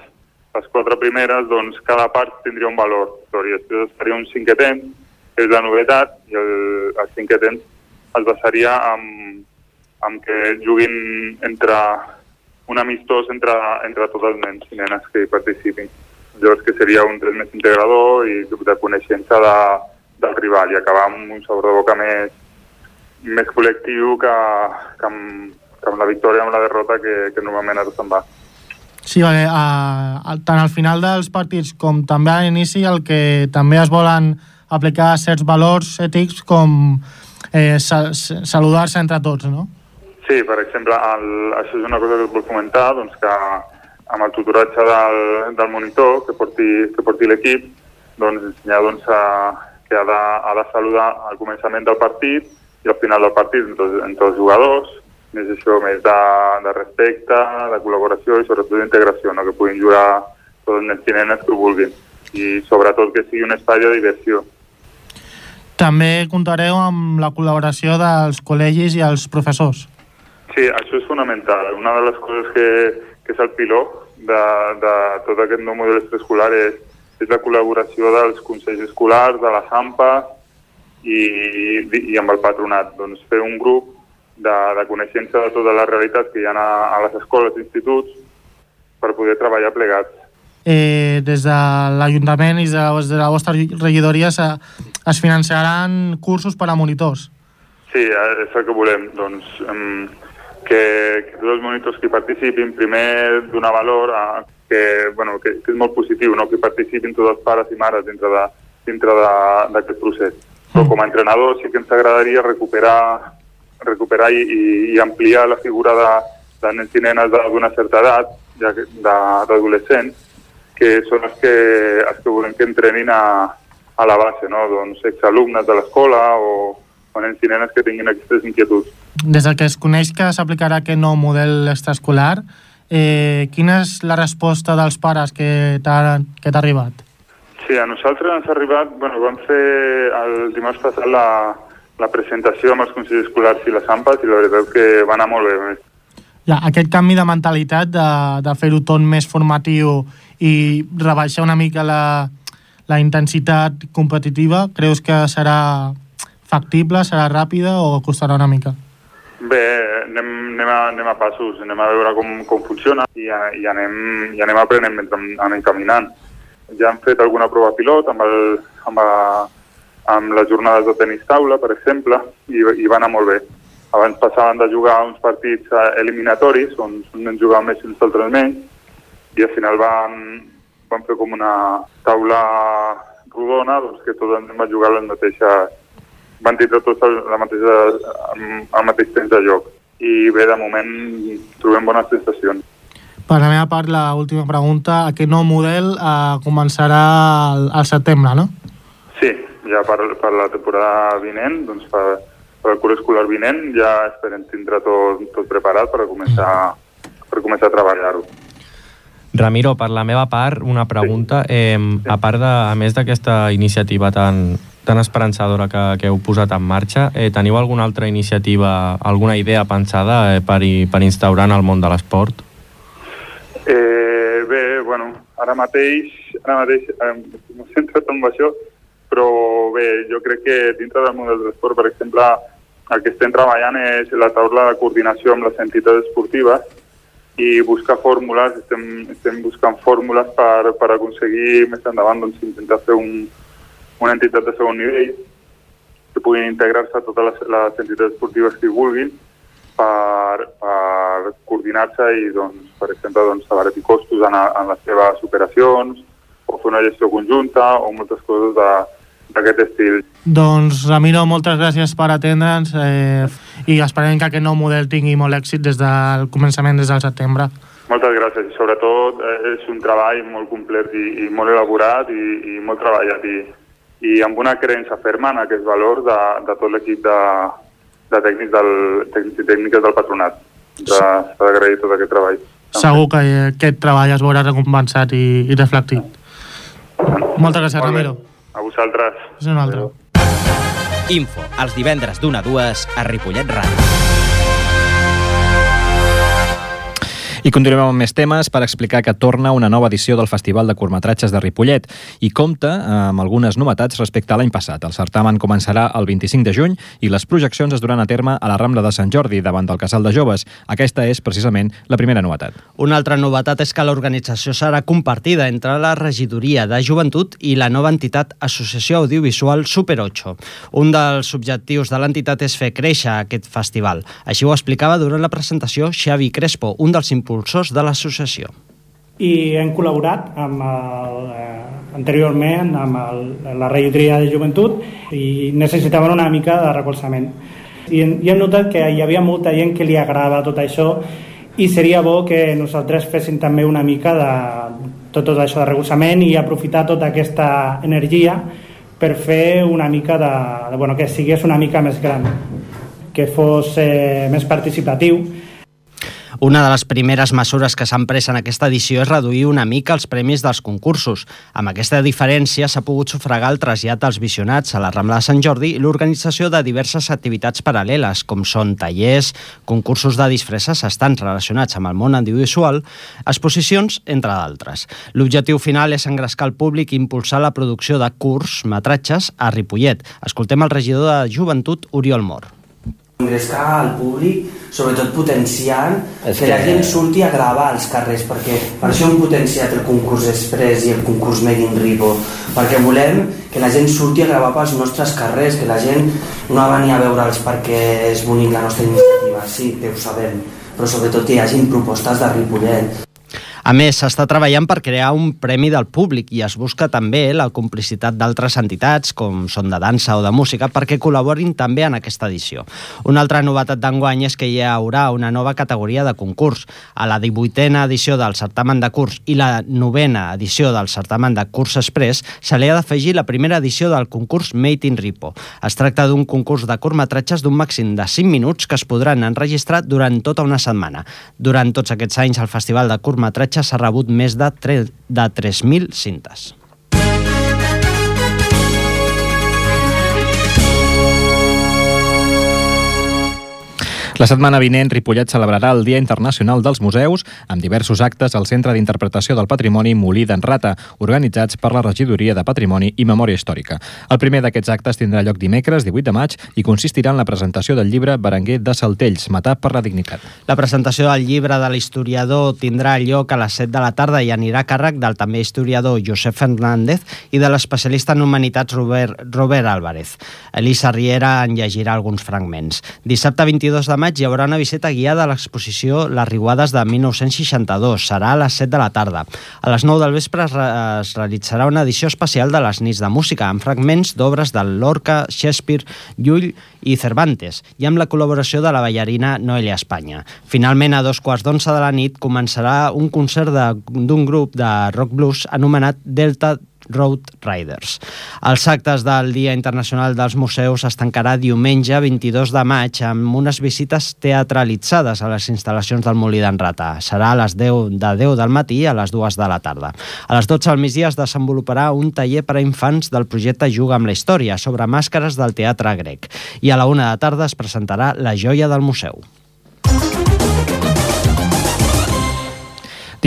les quatre primeres, doncs cada part tindria un valor. I després es faria un cinquè temps, que és la novetat, i el, el cinquè temps es basaria en amb que juguin entre un amistós entre, entre tots els nens i nenes que hi participin. Llavors que seria un test més integrador i de coneixença de, del rival i acabar amb un sabor de boca més, més col·lectiu que, que, amb, que amb la victòria, amb la derrota que, que normalment ara se'n va. Sí, perquè a, a, tant al final dels partits com també a l'inici el que també es volen aplicar certs valors ètics com eh, sal, saludar-se entre tots, no? Sí, per exemple, el, això és una cosa que us vull comentar, doncs que amb el tutoratge del, del monitor que porti, que porti l'equip, doncs ensenyar doncs, a, que ha de, ha de saludar al començament del partit i al final del partit entre, entre els jugadors, més això, més de, de respecte, de col·laboració i sobretot d'integració, no? Que puguin jugar tots els nens i nenes que ho vulguin i sobretot que sigui un espai de diversió. També comptareu amb la col·laboració dels col·legis i els professors. Sí, això és fonamental. Una de les coses que, que és el piló de, de tot aquest nou model extraescolar és, és la col·laboració dels consells escolars, de les A M P A i, i amb el patronat. Doncs fer un grup de, de coneixença de totes les realitats que hi ha a, a les escoles i instituts per poder treballar plegats. Eh, des de l'Ajuntament i des de la vostra regidoria es, es finançaran cursos per a monitors. Sí, és el que volem. Doncs, um, que, que tots els monitors que participin primer donar valor a que, bueno, que, que és molt positiu, no? Que participin tots els pares i mares dintre de, dintre d'aquest procés. Però com a entrenador sí que ens agradaria recuperar, recuperar i, i ampliar la figura de, de nens i nenes d'una certa edat, ja que, d'adolescents, que són els que, els que volem que entrenin a, a la base, no? Doncs exalumnes de l'escola o, o nens i nenes que tinguin aquestes inquietuds. Des que es coneix que s'aplicarà aquest nou model extraescolar, eh, quina és la resposta dels pares que t'ha que t'ha arribat? Sí, a nosaltres ens ha arribat, bueno, vam fer el dimarts passat la, la presentació amb els consells escolars i les A M P As i la veritat que va anar molt bé. Ja, aquest canvi de mentalitat de, de fer-ho tot més formatiu i rebaixar una mica la, la intensitat competitiva, creus que serà factible, serà ràpida o costarà una mica? Bé, anem, anem, a, anem a passos, anem a veure com, com funciona i, i, anem, i anem aprenent mentre anem caminant. Ja hem fet alguna prova pilot amb, el, amb, a, amb les jornades de tenis taula, per exemple, i, i va anar molt bé. Abans passaven de jugar uns partits eliminatoris, on uns jugaven més i uns altres menys, i al final van, van fer com una taula rodona, doncs que tots ens vam jugar les mateixes, van tindre tots la mateixa, el mateix temps de joc. I bé, de moment trobem bones sensacions. Per la meva part, l'última pregunta, aquest nou model eh, començarà al, al setembre, no? Sí, ja per, per la temporada vinent, doncs per, per el curs escolar vinent, ja esperem tindre tot, tot preparat per començar, per començar a treballar-ho. Ramiro, per la meva part, una pregunta. Eh, a part de, a més d'aquesta iniciativa tan, tan esperançadora que, que heu posat en marxa, eh, teniu alguna altra iniciativa, alguna idea pensada eh, per, per instaurar en el món de l'esport? Eh, bé, bueno, ara mateix, ara mateix eh, m'he centrat en això, però bé, jo crec que dintre del món de l'esport, per exemple, el que estem treballant és la taula de coordinació amb les entitats esportives i buscar fórmules, estem, estem buscant fórmules per, per aconseguir més endavant doncs, intentar fer un, una entitat de segon nivell, que puguin integrar-se totes les, les entitats esportives que hi vulguin per, per coordinar-se i, doncs, per exemple, doncs, abaratir costos en, a, en les seves operacions o fer una gestió conjunta o moltes coses d'aquest estil. Doncs, Ramiro, moltes gràcies per atendre'ns eh, i esperem que aquest nou model tingui molt èxit des del començament, des del setembre. Moltes gràcies. I sobretot eh, és un treball molt complet i, i molt elaborat i, i molt treballat i, i amb una creença ferma en aquest valor de, de tot l'equip de, de tècnics, del, tècnics i tècniques del patronat. S'ha d'agrair tot aquest treball. Segur que aquest treball es veurà recompensat i, i reflectit. Moltes gràcies, Molt Ramiro. A vosaltres. És un altre. Info, els divendres d'una a dues a Ripollet Ràdio. I continuem amb més temes per explicar que torna una nova edició del Festival de Curtmetratges de Ripollet i compta amb algunes novetats respecte a l'any passat. El certamen començarà el vint-i-cinc de juny i les projeccions es duran a terme a la Rambla de Sant Jordi, davant del Casal de Joves. Aquesta és, precisament, la primera novetat. Una altra novetat és que l'organització serà compartida entre la Regidoria de Joventut i la nova entitat Associació Audiovisual Super ocho. Un dels objectius de l'entitat és fer créixer aquest festival. Així ho explicava durant la presentació Xavi Crespo, un dels impulsors de l'associació. I hem col·laborat amb el, eh, anteriorment amb el, la regidoria de joventut i necessitaven una mica de recolzament. I, i hem notat que hi havia molta gent que li agradava tot això i seria bo que nosaltres féssim també una mica de tot, tot això de recolzament i aprofitar tota aquesta energia per fer una mica de, de bueno, que sigués una mica més gran, que fos eh, més participatiu. Una de les primeres mesures que s'han pres en aquesta edició és reduir una mica els premis dels concursos. Amb aquesta diferència s'ha pogut sufragar el trasllat dels visionats a la Rambla de Sant Jordi i l'organització de diverses activitats paral·leles, com són tallers, concursos de disfresses estants relacionats amb el món audiovisual, exposicions, entre d'altres. L'objectiu final és engrescar el públic i impulsar la producció de curtmetratges a Ripollet. Escoltem el regidor de Joventut, Oriol Mor. Engrescar al públic, sobretot potenciant que, que la gent surti a gravar als carrers, perquè per això hem potenciat el concurs Express i el concurs Made in Ripo, perquè volem que la gent surti a gravar pels nostres carrers, que la gent no va venir a veure'ls perquè és bonic la nostra iniciativa, sí, que ho sabem, però sobretot que hi hagin propostes de Ripollet. A més, s'està treballant per crear un premi del públic i es busca també la complicitat d'altres entitats, com són de dansa o de música, perquè col·laborin també en aquesta edició. Una altra novetat d'enguany és que hi haurà una nova categoria de concurs. A la divuitena edició del certamen de curs i la novena edició del certamen de curs express se li ha d'afegir la primera edició del concurs Made in Ripo. Es tracta d'un concurs de curtmetratges d'un màxim de cinc minuts que es podran enregistrar durant tota una setmana. Durant tots aquests anys, el Festival de Curtmetratges s'ha rebut més de tres mil cintes. La setmana vinent, Ripollet celebrarà el Dia Internacional dels Museus amb diversos actes al Centre d'Interpretació del Patrimoni Molí d'en Rata, organitzats per la Regidoria de Patrimoni i Memòria Històrica. El primer d'aquests actes tindrà lloc dimecres, divuit de maig, i consistirà en la presentació del llibre Berenguer de Saltells, Matar per la dignitat. La presentació del llibre de l'historiador tindrà lloc a les set de la tarda i anirà a càrrec del també historiador Josep Fernández i de l'especialista en humanitats Robert, Robert Álvarez. Elisa Riera en llegirà alguns fragments. Dissabte vint-i-dos de maig hi haurà una visita guiada a l'exposició Les Riuades de mil nou-cents seixanta-dos. Serà a les set de la tarda. A les nou del vespre es, re es realitzarà una edició especial de les nits de música amb fragments d'obres de Lorca, Shakespeare, Llull i Cervantes i amb la col·laboració de la ballarina Noelia Espanya. Finalment, a dos quarts d'onze de la nit començarà un concert d'un grup de rock blues anomenat Delta Road Riders. Els actes del Dia Internacional dels Museus es tancarà diumenge vint-i-dos de maig amb unes visites teatralitzades a les instal·lacions del Molí d'en Rata. Serà a les deu de deu del matí a les dues de la tarda. A les dotze del migdia es desenvoluparà un taller per a infants del projecte Juga amb la història sobre màscares del teatre grec. I a la una de la tarda es presentarà La joia del museu.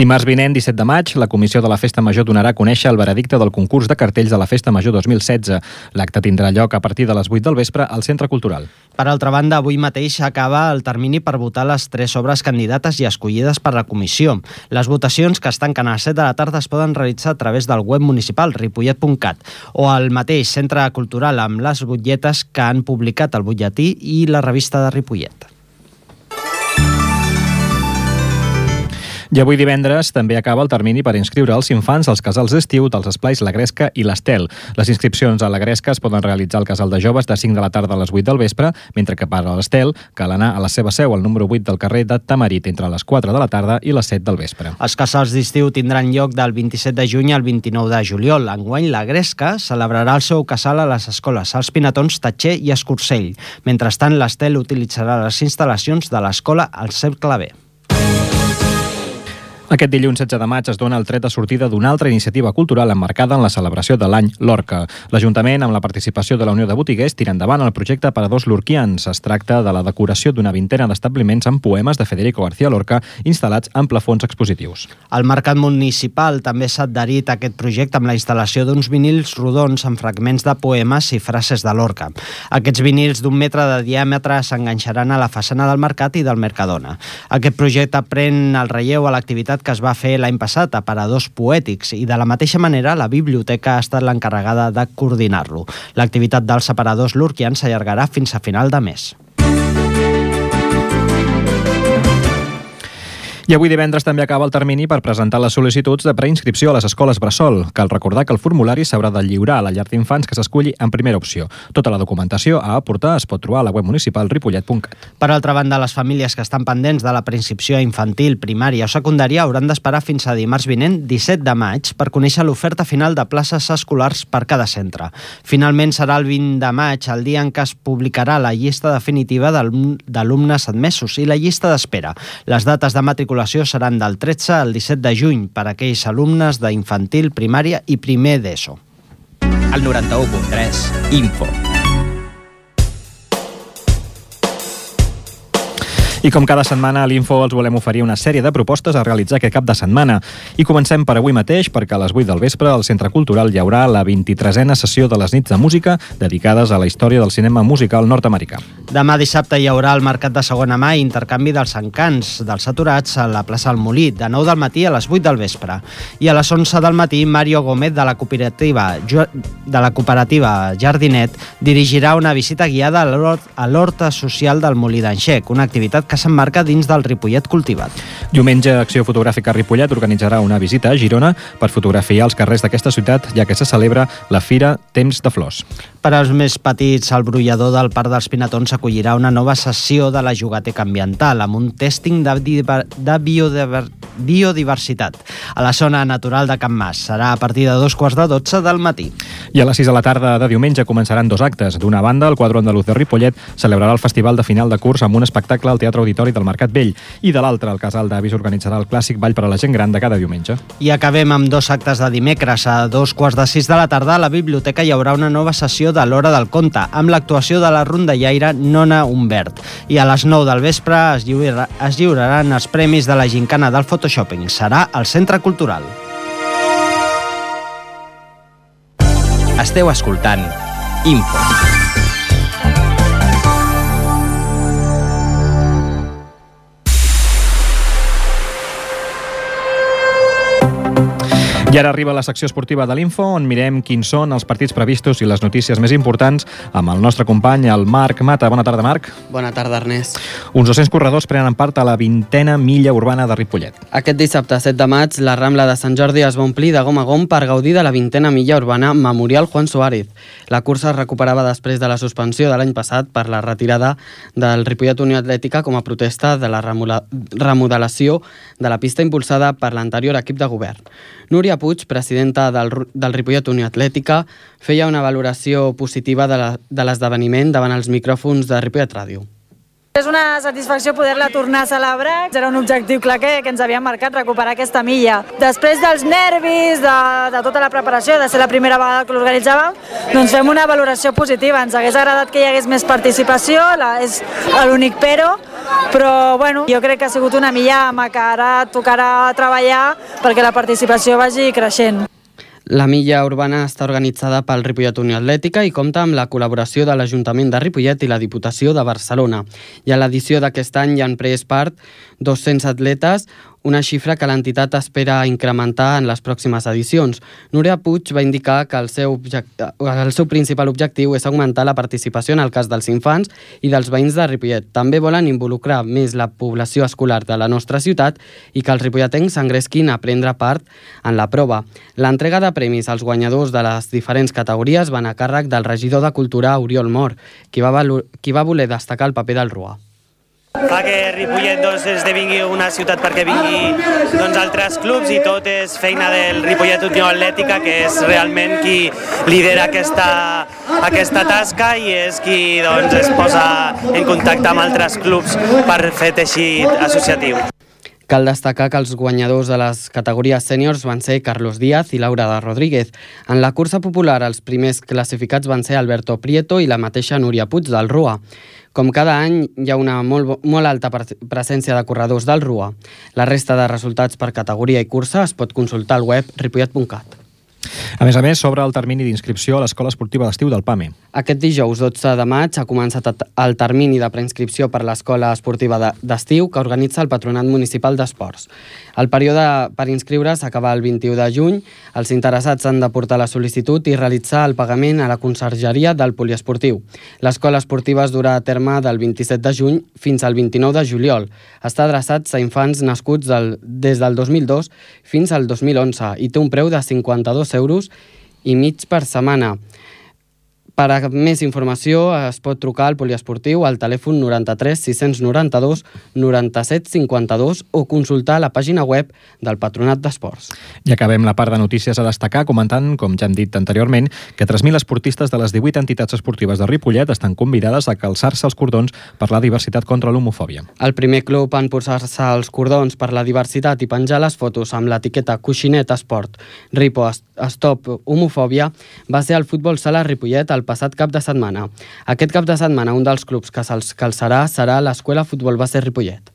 Dimarts vinent, disset de maig, la Comissió de la Festa Major donarà a conèixer el veredicte del concurs de cartells de la Festa Major dos mil setze. L'acte tindrà lloc a partir de les vuit del vespre al Centre Cultural. Per altra banda, avui mateix acaba el termini per votar les tres obres candidates i escollides per la comissió. Les votacions, que es tanquen a les set de la tarda, es poden realitzar a través del web municipal ripollet punt cat o al mateix Centre Cultural amb les butlletes que han publicat el butlletí i la revista de Ripollet. I avui divendres també acaba el termini per inscriure els infants als casals d'estiu dels Esplais La Gresca i l'Estel. Les inscripcions a La Gresca es poden realitzar al casal de joves de cinc de la tarda a les vuit del vespre, mentre que per a l'Estel cal anar a la seva seu al número vuit del carrer de Tamarit entre les quatre de la tarda i les set del vespre. Els casals d'estiu tindran lloc del vint-i-set de juny al vint-i-nou de juliol. Enguany, La Gresca celebrarà el seu casal a les escoles Els Pinatons, Tatxer i Escursell. Mentrestant, l'Estel utilitzarà les instal·lacions de l'escola al Cercle B. Aquest dilluns setze de maig es dona el tret de sortida d'una altra iniciativa cultural emmarcada en la celebració de l'any Lorca. L'Ajuntament, amb la participació de la Unió de Botiguers, tira endavant el projecte Paradors Lorquians. Es tracta de la decoració d'una vintena d'establiments amb poemes de Federico García Lorca instal·lats en plafons expositius. El Mercat Municipal també s'ha adherit a aquest projecte amb la instal·lació d'uns vinils rodons amb fragments de poemes i frases de Lorca. Aquests vinils d'un metre de diàmetre s'enganxaran a la façana del Mercat i del Mercadona. Aquest projecte pren el relleu a l'activitat que es va fer l'any passat a Paradors Poètics i de la mateixa manera la biblioteca ha estat l'encarregada de coordinar-lo. L'activitat dels aparadors lorquians s'allargarà fins a final de mes. I avui divendres també acaba el termini per presentar les sol·licituds de preinscripció a les escoles bressol. Cal recordar que el formulari s'haurà de lliurar a la llar d'infants que s'esculli en primera opció. Tota la documentació a aportar es pot trobar a la web municipal ripollet punt cat. Per altra banda, les famílies que estan pendents de la preinscripció infantil, primària o secundària hauran d'esperar fins a dimarts vinent, disset de maig, per conèixer l'oferta final de places escolars per cada centre. Finalment serà el vint de maig, el dia en què es publicarà la llista definitiva d'alumnes admesos i la llista d'espera. Les dates de matriculació seran del tretze al disset de juny per a aquells alumnes d'infantil, primària i primer d'ESO. El noranta-u punt tres, Info. I com cada setmana a l'Info els volem oferir una sèrie de propostes a realitzar aquest cap de setmana. I comencem per avui mateix, perquè a les vuit del vespre al Centre Cultural hi haurà la vint-i-tresena sessió de les nits de música dedicades a la història del cinema musical nord-americà. Demà dissabte hi haurà el mercat de segona mà i intercanvi dels encants dels aturats a la plaça del Molí, de nou del matí a les vuit del vespre. I a les onze del matí, Mario Gómez de la cooperativa, de la cooperativa Jardinet dirigirà una visita guiada a l'horta social del Molí d'Anxec, una activitat que s'emmarca dins del Ripollet Cultivat. Diumenge, Acció Fotogràfica Ripollet organitzarà una visita a Girona per fotografiar els carrers d'aquesta ciutat, ja que se celebra la Fira Temps de Flors. Per als més petits, el brollador del Parc dels Pinatons acollirà una nova sessió de la jugateca ambiental amb un tèsting de, diver... de biodiver... biodiversitat a la zona natural de Can Mas. Serà a partir de dos quarts de dotze del matí. I a les sis de la tarda de diumenge començaran dos actes. D'una banda, el quadro andaluz de Ripollet celebrarà el festival de final de curs amb un espectacle al Teatre Auditori del Mercat Vell, i de l'altre, el Casal d'Avis organitzarà el clàssic ball per a la gent gran de cada diumenge. I acabem amb dos actes de dimecres. A dos quarts de sis de la tarda a la biblioteca hi haurà una nova sessió de l'Hora del Conte, amb l'actuació de la rondallaire Nona Humbert. I a les nou del vespre es, lliurarà, es lliuraran els premis de la gincana del Photoshopping. Serà al Centre Cultural. Esteu escoltant Info. I ara arriba la secció esportiva de l'Info, on mirem quins són els partits previstos i les notícies més importants amb el nostre company, el Marc Mata. Bona tarda, Marc. Bona tarda, Ernest. Uns dos-cents corredors prenen part a la vintena milla urbana de Ripollet. Aquest dissabte, set de maig, la Rambla de Sant Jordi es va omplir de gom a gom per gaudir de la vintena milla urbana Memorial Juan Suárez. La cursa es recuperava després de la suspensió de l'any passat per la retirada del Ripollet Unió Atlètica com a protesta de la remodelació de la pista impulsada per l'anterior equip de govern. Núria Puig, presidenta del, del Ripollet Unió Atlètica, feia una valoració positiva de l'esdeveniment davant els micròfons de Ripollet Ràdio. És una satisfacció poder-la tornar a celebrar. Era un objectiu clar que, que ens havíem marcat, recuperar aquesta milla. Després dels nervis, de, de tota la preparació, de ser la primera vegada que l'organitzàvem, doncs fem una valoració positiva. Ens hagués agradat que hi hagués més participació, la, és l'únic però, però bueno, jo crec que ha sigut una milla que ara tocarà treballar perquè la participació vagi creixent. La milla urbana està organitzada pel Ripollet Unió Atlètica i compta amb la col·laboració de l'Ajuntament de Ripollet i la Diputació de Barcelona. I a l'edició d'aquest any hi han pres part dos-cents atletes, una xifra que l'entitat espera incrementar en les pròximes edicions. Núria Puig va indicar que el seu, el seu principal objectiu és augmentar la participació en el cas dels infants i dels veïns de Ripollet. També volen involucrar més la població escolar de la nostra ciutat i que els ripolletens s'engresquin a prendre part en la prova. L'entrega de premis als guanyadors de les diferents categories van a càrrec del regidor de Cultura, Oriol Mor, qui va, qui va voler destacar el paper del Rua. Fa que Ripollet doncs, esdevingui una ciutat perquè vingui doncs, altres clubs i tot és feina del Ripollet Unió Atlètica, que és realment qui lidera aquesta, aquesta tasca i és qui doncs, es posa en contacte amb altres clubs per fer teixit associatiu. Cal destacar que els guanyadors de les categories sèniors van ser Carlos Díaz i Laura de Rodríguez. En la cursa popular, els primers classificats van ser Alberto Prieto i la mateixa Núria Puig del Rua. Com cada any, hi ha una molt, molt alta presència de corredors del Rua. La resta de resultats per categoria i cursa es pot consultar al web ripollet punt cat. A més a més, s'obre el termini d'inscripció a l'Escola Esportiva d'Estiu del P A M E. Aquest dijous dotze de maig ha començat el termini de preinscripció per l'Escola Esportiva d'Estiu que organitza el Patronat Municipal d'Esports. El període per inscriure's acaba el vint-i-u de juny. Els interessats han de portar la sol·licitud i realitzar el pagament a la consergeria del poliesportiu. L'Escola Esportiva es durà a terme del vint-i-set de juny fins al vint-i-nou de juliol. Està adreçat a infants nascuts del, des del dos mil dos fins al dos mil onze i té un preu de cinquanta-dos euros i mig per setmana. Per a més informació es pot trucar al poliesportiu al telèfon noranta-tres sis noranta-dos noranta-set cinquanta-dos o consultar la pàgina web del Patronat d'Esports. I acabem la part de notícies a destacar comentant, com ja hem dit anteriorment, que tres mil esportistes de les divuit entitats esportives de Ripollet estan convidades a calçar-se els cordons per la diversitat contra l'homofòbia. El primer club en posar-se els cordons per la diversitat i penjar les fotos amb l'etiqueta Coixinet Esport Ripo Stop Homofòbia va ser el Futbol Sala Ripollet el passat cap de setmana. Aquest cap de setmana un dels clubs que se'ls calçarà serà l'Escola Futbol Base Ripollet.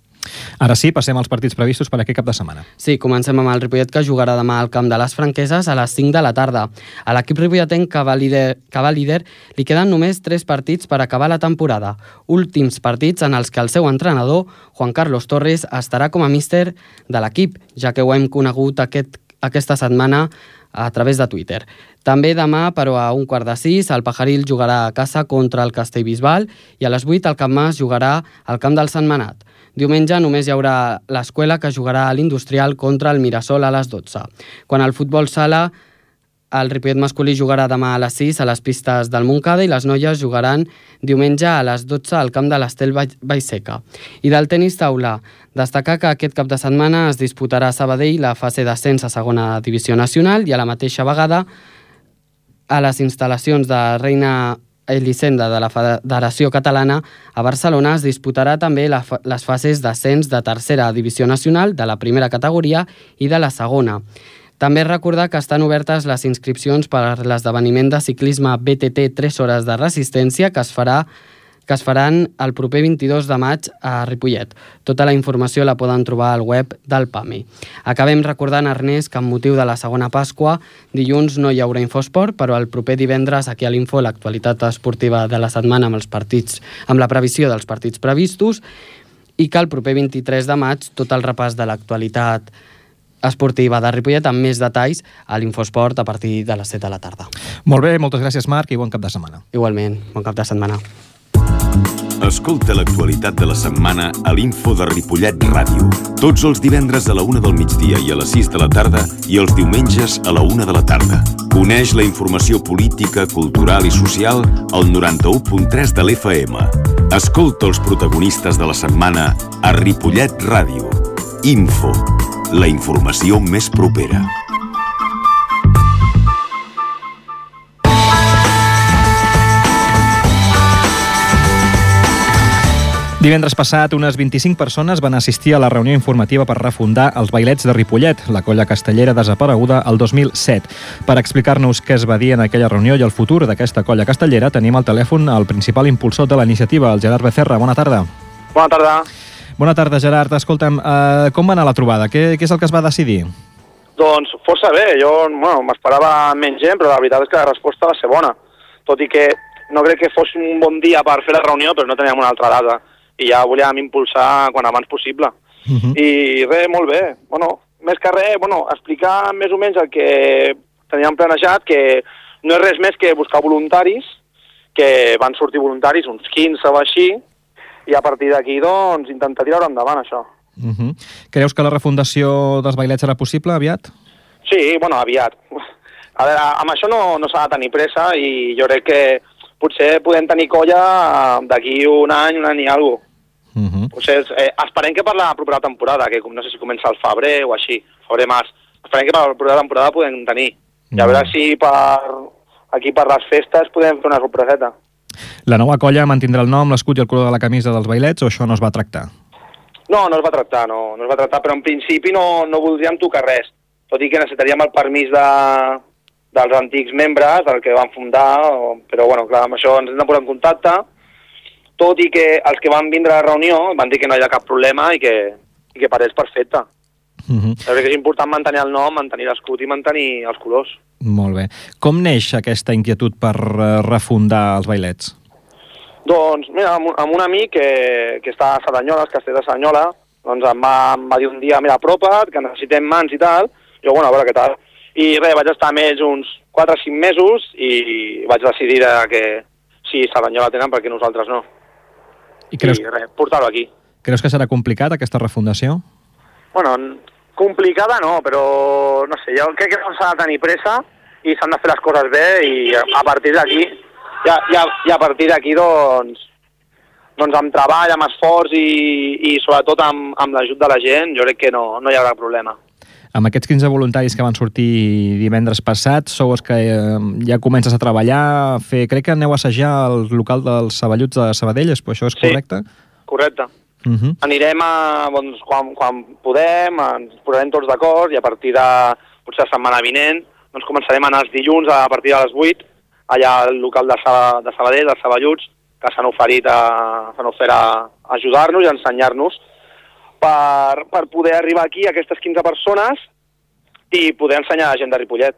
Ara sí, passem als partits previstos per aquest cap de setmana. Sí, comencem amb el Ripollet, que jugarà demà al camp de les Franqueses a les cinc de la tarda. A l'equip ripolletenc que va líder, que va líder li queden només tres partits per acabar la temporada. Últims partits en els que el seu entrenador, Juan Carlos Torres, estarà com a míster de l'equip, ja que ho hem conegut aquest, aquesta setmana a través de Twitter. També demà, però a un quart de sis, el Pajaril jugarà a casa contra el Castellbisbal i a les vuit el Camp Mas jugarà al camp del Sentmenat. Diumenge només hi haurà l'Escuela, que jugarà a l'Industrial contra el Mirasol a les dotze. Quan al futbol sala, el Ripollet masculí jugarà demà a les sis a les pistes del Montcada i les noies jugaran diumenge a les dotze al camp de l'Estel Vallseca. I del tenis taula, destacar que aquest cap de setmana es disputarà a Sabadell la fase d'ascens a segona divisió nacional i a la mateixa vegada a les instal·lacions de Reina Elisenda de la Federació Catalana a Barcelona es disputarà també la, les fases d'ascens de tercera divisió nacional, de la primera categoria i de la segona. També recordar que estan obertes les inscripcions per a l'esdeveniment de ciclisme B T T tres hores de resistència que es farà que es faran el proper vint-i-dos de maig a Ripollet. Tota la informació la poden trobar al web del P A M E. Acabem recordant, Ernest, que amb motiu de la segona Pasqua, dilluns no hi haurà Infosport, però el proper divendres aquí a l'Info l'actualitat esportiva de la setmana amb els partits, amb la previsió dels partits previstos, i que el proper vint-i-tres de maig tot el repàs de l'actualitat esportiva de Ripollet amb més detalls a l'Infosport a partir de les set de la tarda. Molt bé, moltes gràcies, Marc, i bon cap de setmana. Igualment, bon cap de setmana. Escolta l'actualitat de la setmana a l'Info de Ripollet Ràdio. Tots els divendres a la una del migdia i a les sis de la tarda i els diumenges a la una de la tarda. Coneix la informació política, cultural i social al noranta-u punt tres de l'F M. Escolta els protagonistes de la setmana a Ripollet Ràdio. Info, la informació més propera. Divendres passat, unes vint-i-cinc persones van assistir a la reunió informativa per refundar els Bailets de Ripollet, la colla castellera desapareguda el dos mil set. Per explicar-nos què es va dir en aquella reunió i el futur d'aquesta colla castellera, tenim al telèfon el principal impulsor de la iniciativa, el Gerard Becerra. Bona tarda. Bona tarda. Bona tarda, Gerard. Escolta'm, uh, com va anar la trobada? Què, què és el que es va decidir? Doncs força bé. Jo bueno, m'esperava menys gent, però la veritat és que la resposta va ser bona. Tot i que no crec que fos un bon dia per fer la reunió, però no teníem una altra data. I ja volíem impulsar quan abans possible. Uh -huh. I res, molt bé. Bueno, més que res, bueno, explicar més o menys el que teníem planejat, que no és res més que buscar voluntaris, que van sortir voluntaris, uns quinze o així, i a partir d'aquí, doncs, intentar tirar endavant això. Uh -huh. Creus que la refundació dels bailets serà possible aviat? Sí, bueno, aviat. A veure, amb això no, no s'ha de tenir pressa i jo crec que potser podem tenir colla d'aquí un any, un any i alguna cosa. Uh -huh. Potser, eh, esperem que per la propera temporada, que no sé si comença al febrer o així, febrer-març, esperem que per la propera temporada podem tenir. I a veure si per, aquí per les festes podem fer una sorpreseta. La nova colla mantindrà el nom, l'escut i el color de la camisa dels bailets o això no es va tractar? No, no es va tractar, no, no es va tractar, però en principi no, no voldríem tocar res, tot i que necessitaríem el permís de, dels antics membres, del que van fundar, però bueno, clar, amb això ens hem de posar en contacte, tot i que els que van vindre a la reunió van dir que no hi ha cap problema i que, i que per ells perfecte. Uh-huh. Crec que és important mantenir el nom, mantenir l'escut i mantenir els colors. Molt bé. Com neix aquesta inquietud per refundar els bailets? Doncs, mira, amb un, amb un amic que, que està a Cerdanyola, el castell de Cerdanyola, doncs em va, em va dir un dia, mira, apropa't, que necessitem mans i tal. Jo, bueno, a veure què tal. I res, vaig estar amb ells uns quatre o cinc mesos i vaig decidir que si Cerdanyola tenen, perquè nosaltres no. I, creus... I res, portar-ho aquí. Creus que serà complicat, aquesta refundació? Bueno, complicada no, però no sé, jo crec que no s'ha de tenir pressa i s'han de fer les coses bé i a partir d'aquí i, i, i a partir d'aquí doncs doncs amb treball, amb esforç i, i sobretot amb, amb l'ajut de la gent jo crec que no, no hi haurà problema. Amb aquests quinze voluntaris que van sortir divendres passat, sou els que eh, ja comences a treballar, a fer... crec que aneu a assajar al local dels Saballuts de Sabadell, això és correcte? Sí, correcte. Uh-huh. Anirem a, doncs, quan, quan podem, ens posarem tots d'acord i a partir de, potser la setmana vinent, doncs començarem a anar els dilluns a partir de les vuit, allà al local de, Sa, de Sabadell, dels Saballuts, que s'han oferit a, s'han ofert a ajudar-nos i a ensenyar-nos per, per poder arribar aquí a aquestes quinze persones i poder ensenyar a la gent de Ripollet.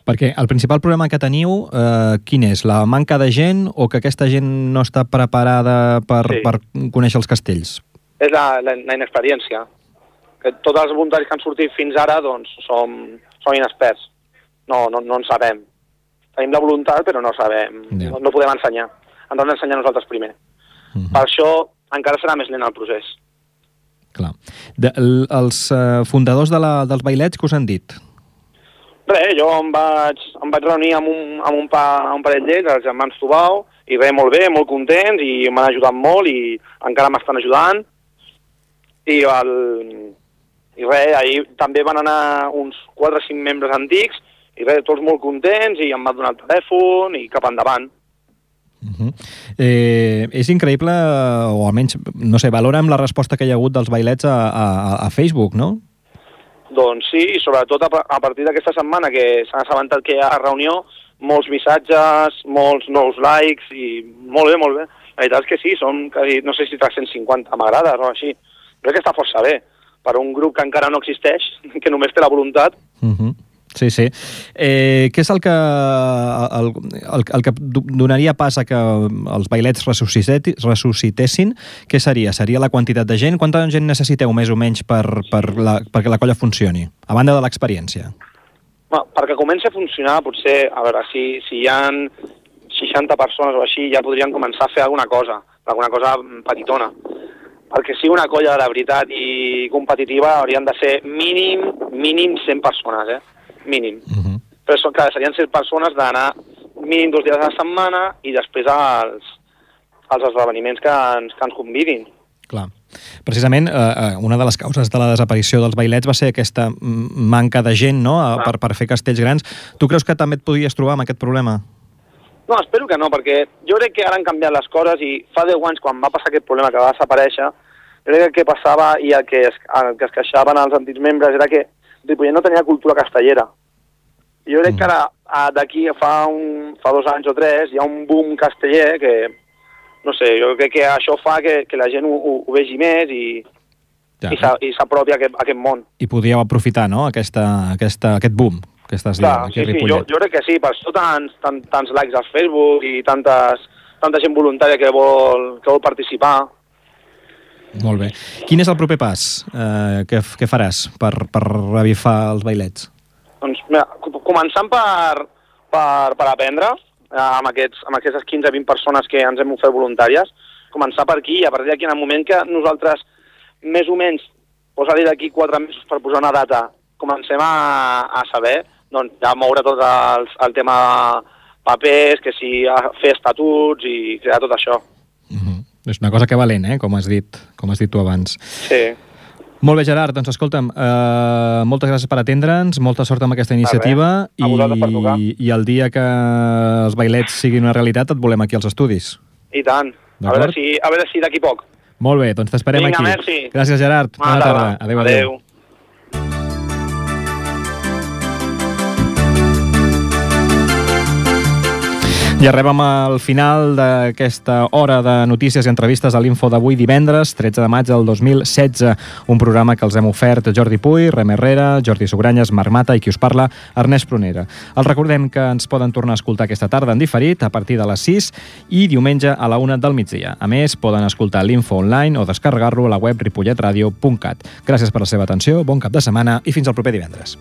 Perquè el principal problema que teniu, eh, quin és? La manca de gent o que aquesta gent no està preparada per, sí. per conèixer els castells? És la, la, la inexperiència. Que tots els voluntaris que han sortit fins ara doncs, som, som inexperts. No, no, no en sabem. Tenim la voluntat, però no sabem. Yeah. No, no podem ensenyar. Ens hem d'ensenyar nosaltres primer. Uh-huh. Per això encara serà més lent el procés. Clar. De, el, els uh, fundadors de la, dels bailets, què us han dit? Res, jo em vaig, em vaig reunir amb un, amb un, pa, un parell d'ells, els germans Tubau, i res, molt bé, molt contents, i m'han ajudat molt, i encara m'estan ajudant. I, el, i res, ahir també van anar uns quatre o cinc membres antics, i res, tots molt contents, i em van donar el telèfon, i cap endavant. Uh-huh. eh, és increïble, o almenys, no sé, valorem la resposta que hi ha hagut dels bailets a, a, a Facebook, no? Doncs sí, i sobretot a, a partir d'aquesta setmana que s'han assabentat que hi ha reunió, molts missatges, molts nous likes, i molt bé, molt bé. La veritat és que sí, són, no sé si tres-cents cinquanta m'agrades o així. Crec que està força bé, per un grup que encara no existeix, que només té la voluntat. Uh-huh. Sí, sí. Eh, què és el que, el, el, el que donaria pas a que els bailets ressuscitessin? Què seria? Seria la quantitat de gent? Quanta gent necessiteu més o menys per, per la, perquè la colla funcioni? A banda de l'experiència. Bueno, perquè comenci a funcionar, potser, a veure, si, si hi ha seixanta persones o així, ja podrien començar a fer alguna cosa, alguna cosa petitona. Perquè si una colla de veritat i competitiva haurien de ser mínim, mínim cent persones, eh? Mínim. Uh-huh. Però són, clar, serien cent persones d'anar mínim dos dies a la setmana i després als, als esdeveniments que ens, que ens convidin. Clar. Precisament, eh, una de les causes de la desaparició dels bailets va ser aquesta manca de gent, no?, per, per fer castells grans. Tu creus que també et podries trobar amb aquest problema? No, espero que no, perquè jo crec que ara han canviat les coses i fa deu anys, quan va passar aquest problema que va desaparèixer, jo crec que el que passava i el que es, el que es queixaven els antics membres era que Ripollet no tenia cultura castellera. I jo crec que ara, d'aquí fa, un, fa dos anys o tres, hi ha un boom casteller que, no sé, jo crec que això fa que, que la gent ho, ho, ho vegi més i, ja. i s'apropi a, aquest, a aquest món. I podíeu aprofitar, no?, aquesta, aquesta, aquest boom que estàs dient, Clar, aquí a sí, sí, Ripollet. jo, jo crec que sí, per això tants, tants, tants likes al Facebook i tantes, tanta gent voluntària que vol, que vol participar. Molt bé. Quin és el proper pas eh, que, que faràs per, per revifar els bailets? Doncs mira, començant per, per, per aprendre, amb, aquests, amb aquestes quinze a vint persones que ens hem ofert voluntàries, començar per aquí i a partir d'aquí, en el moment que nosaltres, més o menys, posa-li d'aquí quatre mesos per posar una data, comencem a, a saber, doncs ja moure tot el, el tema papers, que si fer estatuts i crear tot això. Mm-hmm. És una cosa que valent, eh?, com has dit, com has dit tu abans. Sí. Molt bé, Gerard, doncs escolta'm, eh, moltes gràcies per atendre'ns, molta sort amb aquesta iniciativa i, i el dia que els bailets siguin una realitat et volem aquí als estudis. I tant. A veure si, a veure si d'aquí poc. Molt bé, doncs t'esperem aquí. Vinga, merci. Gràcies, Gerard. Bona, Bona tarda. tarda. Adéu, adéu. adéu. I arribem al final d'aquesta hora de notícies i entrevistes a l'Info d'avui divendres, tretze de maig del dos mil setze. Un programa que els hem ofert Jordi Puy, Rem Herrera, Jordi Sugranyes, Marc Mata i qui us parla, Ernest Prunera. Els recordem que ens poden tornar a escoltar aquesta tarda en diferit a partir de les sis i diumenge a la una del migdia. A més, poden escoltar l'Info online o descarregar-lo a la web ripollet radio punt cat. Gràcies per la seva atenció, bon cap de setmana i fins al proper divendres.